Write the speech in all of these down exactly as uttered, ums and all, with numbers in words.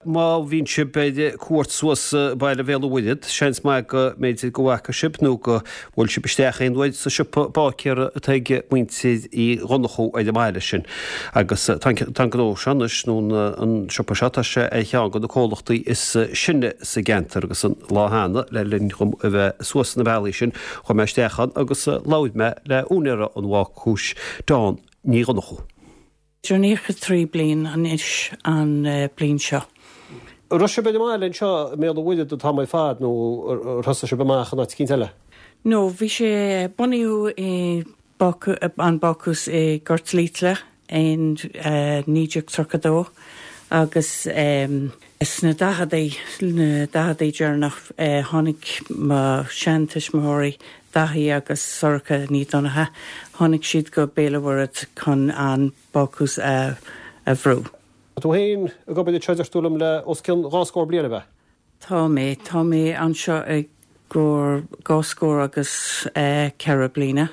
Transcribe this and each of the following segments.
Má bhíonn sibh ar cuairt suas baile Bhéal an Mhuirthead, seans maith go mb'fhéidir go bhfaca sibh nó go bhfuil sibh isteach aon uair sa siopa báicéara atá ag muintir Uí Dhonnchú ar an mbaile sin. Agus tá an gnó seo anois, nó an siopa seo, tá sé ar cheann de na comhlachtaí is sine sa gceantar agus an lá cheana, le linn dhom a bheith suas na bealaí sin, chuaigh mé isteach ann agus labhair mé le úinéara an bhácúis, Dawn Ní Dhonnchú. Idir naocha trí bliain anois an bliain seo. An raibh sibh ar an mbaile anseo i mBéal an Mhuirthead an t-am ar fad nó ar thosaigh sibh amach in áit eicínt eile? No, bhí sé, bunaíodh i an bácús i nGort Liatla in naoi déag tríocha dó agus sna daicheadaí, na daicheadaí deireanach, tháinig mo sheantuismitheoirí, Daithí agus Sorcha Ní Dhonncha, tháinig siad go Béal an Mhuirthead chun an bácús a a bhrú. Tá tú féin ag obair anseo deir tú liom le os cionn dhá scór bliain, ab ea? Tá mé. Tá mé anseo i gcomhair dhá scór agus ceithre bliana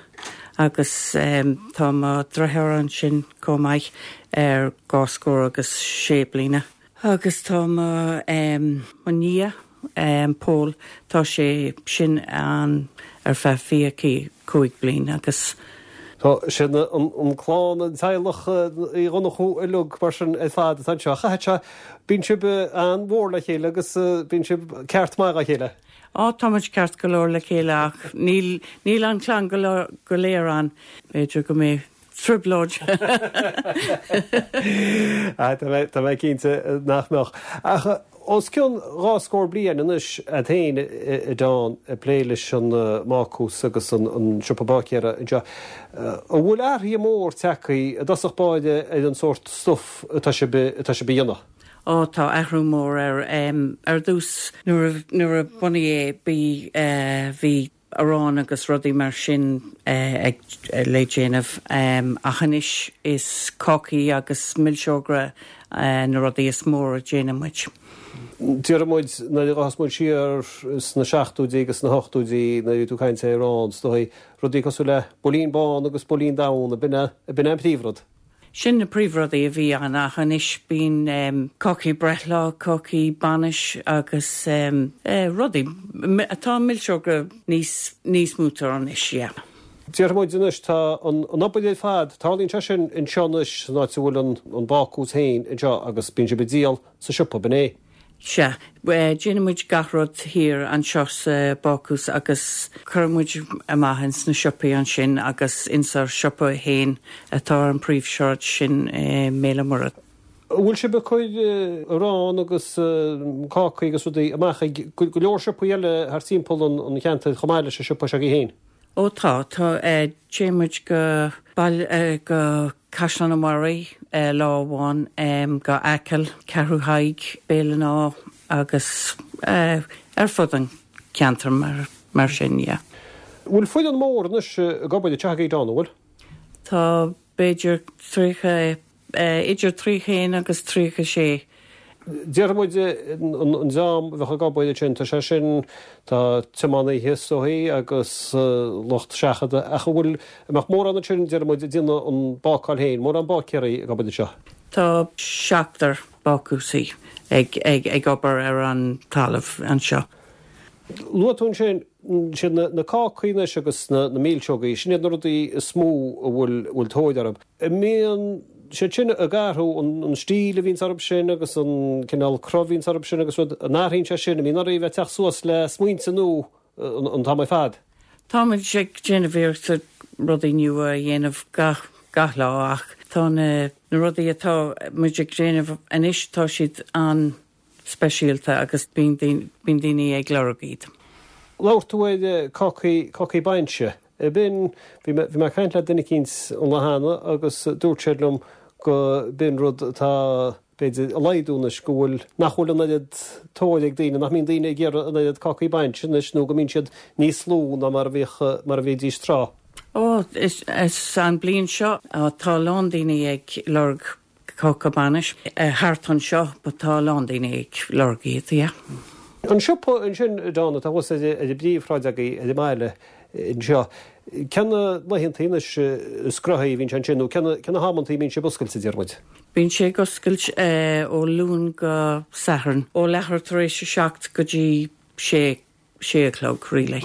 agus tá mo dhriotháir ansin chomh maith ar dhá scór agus sé bliana. Agus tá mo mo nia Pól, tá sé sin ann ar feadh fiche cúig bliain agus. Tá sin an clann, an teaghlach Uí Dhonnchú uilig mar sin ar fad atá anseo. Chaithfeadh sé, bíonn sibh an-mhór le chéile agus bíonn sibh ceart maith dá chéile. Á, tá muid ceart go leor le chéile ach níl, níl an chlann go léir ann. B'fhéidir go mbeidh trioblóid. Tá mé cinnte nach mbeadh. Ach os cionn dhá scór bliain anois agat féin, a Dawn, ag plé leis an mbácús agus an siopa báicéara anseo. An bhfuil athruithe mór tagtha i dtosach báire ar an sórt stuif atá sibh atá sibh a dhéanamh? Ó tá athrú mór air. Ar dtús nuair nuair a bunaíodh é bhí bhí arán agus rudaí mar sin ag le déanamh ach anois is cácaí agus milseogra na rudaí is mór a déanann muid. Déarfaidh muid, nuair a ghabhfas muid siar sna seachtóidí agus sna hochtóidí nuair a bhí tú ag caint ar arán, is dóigh, rudaí cosúil le builín bán agus builín donn, ab in é an príomhrud? Sin na príomhrudaí a bhí ann ach anois bíonn cácaí breithlá, cácaí bainis agus rudaí, tá milseoga níos níos mó anois, yeah. Déarfaidh muid anois, tá an obair ar fad, tarlaíonn sé sin anseo anois san áit a bhfuil an bácús féin anseo agus bíonn sibh ag díol sa siopa, b'in é? Sea. Déanann muid gach rud thiar anseo sa bácús agus cuireann muid amach ins na siopaí ansin agus ins ár siopa féin atá ar an príomhshráid sin i mBéal an Mhuirthead. An bhfuil sibh ag cur arán agus cácaí agus rudaí amach ag go leor siopaí eile thart timpeall an cheantair chomh maith leis an siopa seo agaibh féin? Ó tá, tá. Téann muid go baile, go Caisleán an Bharraigh lá amháin, go Acaill, Ceathrú Thaidhg, Béal an Átha agus ar fud an cheantair mar, mar sin, yeah. Bhfuil foireann mór anois ag obair anseo agaibh, Dawn, an bhfuil? Tá b'fhéidir tríocha, idir tríocha haon agus tríocha sé. Déarfaidh muid an dream a bheadh ag obair ansin, tá sé sin, tá tiománaithe is dóigh agus lucht seachadta ach an bhfuil, an mbeadh mórán ansin, déarfaidh muid, ag déanamh an bácáil féin, mórán báicéirí ag obair anseo? Tá seachtar bácúsaí ag, ag, ag obair ar an talamh anseo. Luaigh tú ansin, sin na, na cácaí anois agus na, na milseogaí, sin iad na rudaí is mó a bhfuil, bhfuil tóir orthu. An mbíonn siad sin ag athrú, an, an stíl a bhíonns orthu sin agus an cineál cruth a bhíonns orthu sin agus rud, an athraíonn sé sin, an mbíonn oraibh a bheith ag teacht suas le smaointe nua an, an t-am ar fad? Táimid ag déanamh iarrachta rudaí nua a dhéanamh gach, gach lá ach tá na, na rudaí atá muid ag déanamh anois, tá siad an, speisialta agus bíonn daoine ag lorg iad. Labhair tú ar cácaí, cácaí bainse. B'in, bhí mé, bhí mé ag caint le duine eicínt an lá cheana agus dúirt sé liom go b'in rud atá, b'fhéidir, ag laghdú anois, go bhfuil, nach bhfuil an oiread tóir ag daoine, nach mbíonn daoine ag iarraidh an oiread cácaí bainse anois nó go mbíonn siad níos lú ná mar a bhíodh, mar a bhídís tráth. Ó, is, is an bliain seo, tá a lán daoine ag lorg Cáca bainis thart anseo but tá a lán daoine ag lorg iad, yeah. An siopa ansin, Dawn, atá thuas ar an bpríomhshráid agaibh ar an mbaile, anseo. Cé na laethantaí anois is gnóthaí a bhíonn sé ansin nó cé na hamantaí a mbíonn sibh oscailte, deir muid? Bíonn sé ag oscailt ó Luan go Satharn, ó leathuair tar éis a seacht go dtí sé sé a chlog, really.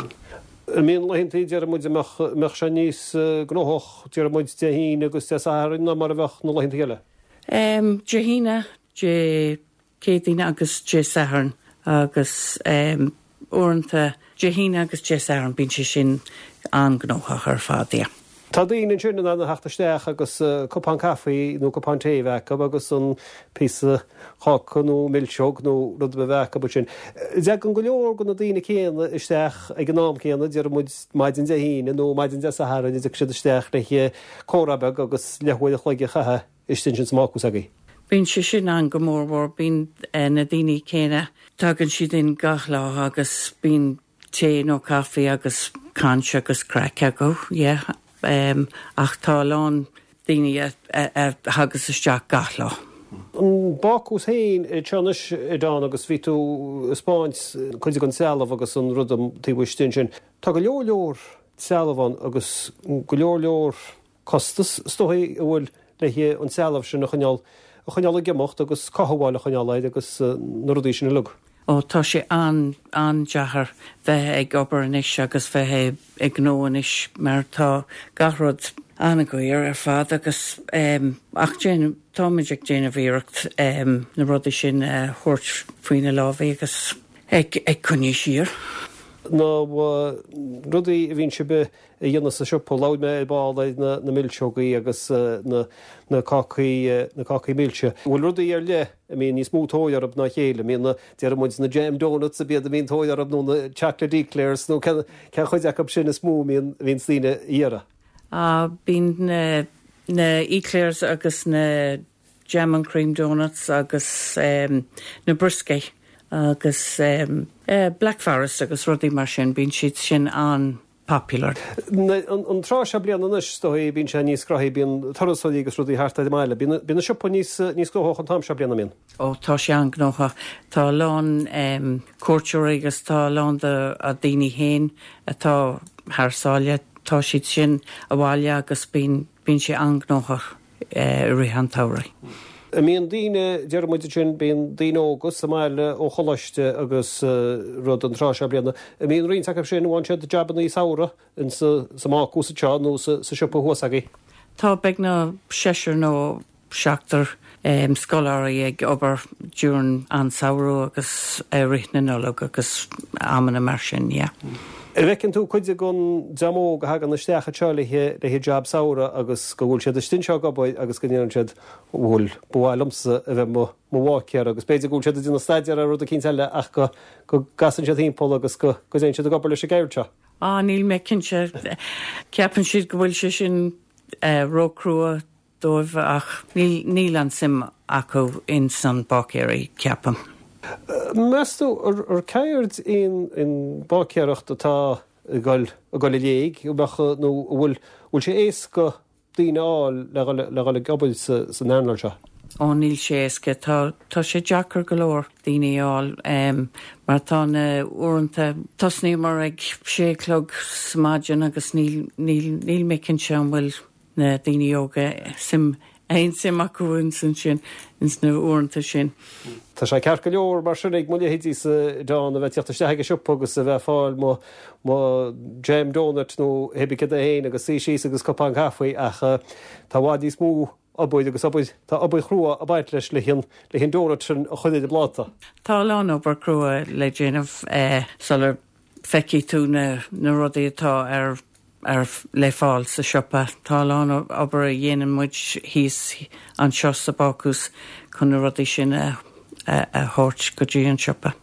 An mbíonn laethantaí, deir muid, a mbeadh sé níos gnóthach, deir muid, Dé hAoine agus Dé Sathairn ná mar a bheadh na laethantaí eile? Dé hAoine, Dé Céadaoine agus Dé Sathairn agus uaireanta Dé hAoine agus Dé Sathairn bíonn sé sin an-ghnóthach ar fad, yeah. Tá daoine ansin in ann a theacht isteach agus cupán caife nó cupán tae a bheith acu agus an píosa cáca nó milseog nó rud ar bith a bheith acu ansin. Tagann go leor de na daoine céanna isteach ag an am céanna, deir muid maidin Dé hAoine nó maidin Dé Sathairn, a dtiocfaidh siad isteach le comhrá beag agus leathuair a chloig a chaitheamh istigh ansin sa mbácús agaibh. Bíonn sé sin ann go mór mhór, bíonn na daoine céanna, tagann siad in gach lá agus bíonn tae nó caife agus caint agus craic acu, yeah. Um, ach tá a lán daoine a, a, a thagas isteach gach lá. An bácús féin anseo anois a Dawn agus bhí tú ag 'spáint cuid den trealamh agus an rud taobh istigh ansin. Tá go leor leor trealamh ann agus go leor leor costas is dóigh a bhfuil le an trealamh sin a choinneáil a choinneáil ag imeacht agus cothabháil a choinneáil air agus na rudaí sin uilig. Ó tá sé an an-deacair bheith ag obair anois agus bheith ag gnó anois mar tá gach rud an-dhaor ar fad agus um, ach déanamh táimid ag déanamh iarracht um, na rudaí sin a uh, thabhairt faoina lámha agus ag, ag coinneáil siar. Na rudaí a bhíonn sibh a dhéanamh sa siopa labhair mé ar ball ar na, na milseogaí agus na, na cácaí na cácaí milse. Bhfuil rudaí ar leith a mbíonn níos mó tóir orthu ná a chéile, mbíonn na deir muid na jam donuts a bíad a mbíonn tóir orthu nó na chocolate eclairs nó cén chuid acu sin is mó mbíonn bhíonn daoine ag iarraidh. Uh, bíonn na, na eclairs agus na jam and cream donuts agus um, na brioscaí agus um, uh, Black Forest agus rudaí mar sin bíonn siad sin an-popular. An tráth seo bliana anois dóigh bíonn sé níos gnóthaí bíonn turasóirí agus rudaí thart ar an mbaile. Bíonn an siopa níos níos gnóthach an t-am seo bliana mbíonn. Ó tá sé an-ghnóthach Tá a lán um, cuairteoirí agus tá a lán de a daoine féin atá thar sáile tá siad sin abhaile agus bíonn bíonn sé an-ghnóthach uh, rith an tsamhraidh. Mbíonn daoine deir muid sin bíonn daoine óga sa mbaile ó choláiste agus rud an tráth seo bliana. Mbíonn roinnt acu sin bhain siad jabanna samhraidh in sa sa mbácús seo nó sa sa siopa thuas agaibh. Tá beagnach seisear nó seachtar um, scoláirí ag obair during an samhradh agus uh, rith na Nollag agus amanna mar sin, yeah. An bhfeiceann tú cuid den dream óg a thagann isteach anseo le le jab samhraidh agus go bhfuil siad istigh anseo ag obair agus go ndéanann siad bhfuil ba mhaith liomsa a bheith mo mo bháicéir agus b'fhéidir go bhfuil siad ag déanamh staidéar ar rud éicint eile ach go go gcasann siad timpeall agus go go dtéann siad ag obair leis an gceird seo. Á níl mé cinnte ceapann siad go bhfuil sé sin uh, róchrua dóibh ach níl, níl an suim acu in san báicéirí ceapaim. Meas tú ar ceird in in báicéireacht atá ag dul ag dul i léig nó bhfuil bhfuil sé éasca daoine fháil le le dhul ag obair sa san earnáil seo. Ó níl sé éasca tá tá sé deacair go leor daoine fháil um, mar tá na uaireanta tosnaíomar ag sé chlog sa maidin agus níl níl níl mé cinnte an bhfuil na daoine óga suim aon suim acu in san sin ins na uaireanta sin. Tá sé ceart go leor mar sin ag mo leithéidí sa Dawn a bheith teacht isteach ag an siopa agus a bheith fáil mo mo jam donut nó pé cad é féin agus suí síos agus cupán caife ach tá i bhfad níos mó obair agus obair tá obair chrua ag baint leis le hin le hin donut sin a chur ar an bpláta. Tá a lán obair crua le déanamh eh, sular feicfidh tú na, na rudaí atá ar ar le fáil sa siopa. Tá a lán obair a dhéanann muid thíos anseo sa bácús chun na rudaí sin a, a, a thabhairt go dtí an siopa.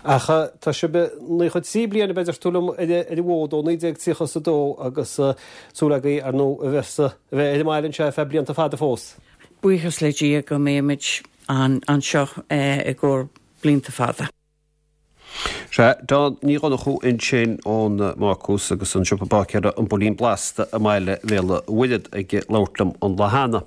Ach tá sibh nócha trí bliana b'fhéidir tú liom ar an bhfód ó naoi déag tríocha a dó agus súil agaibh ar ndóigh a bheith a bheith ar an mbaile anseo feadh blianta fada fós. Buíochas le Dia go mbeimid an anseo eh, i gcomhair blianta fada. Sé Dawn Ní Dhonnchú ansin ón mbácús agus an siopa báicéara an Builín Blasta i mbaile Bhéal an Mhuirthead ag labhairt liom an lá cheana.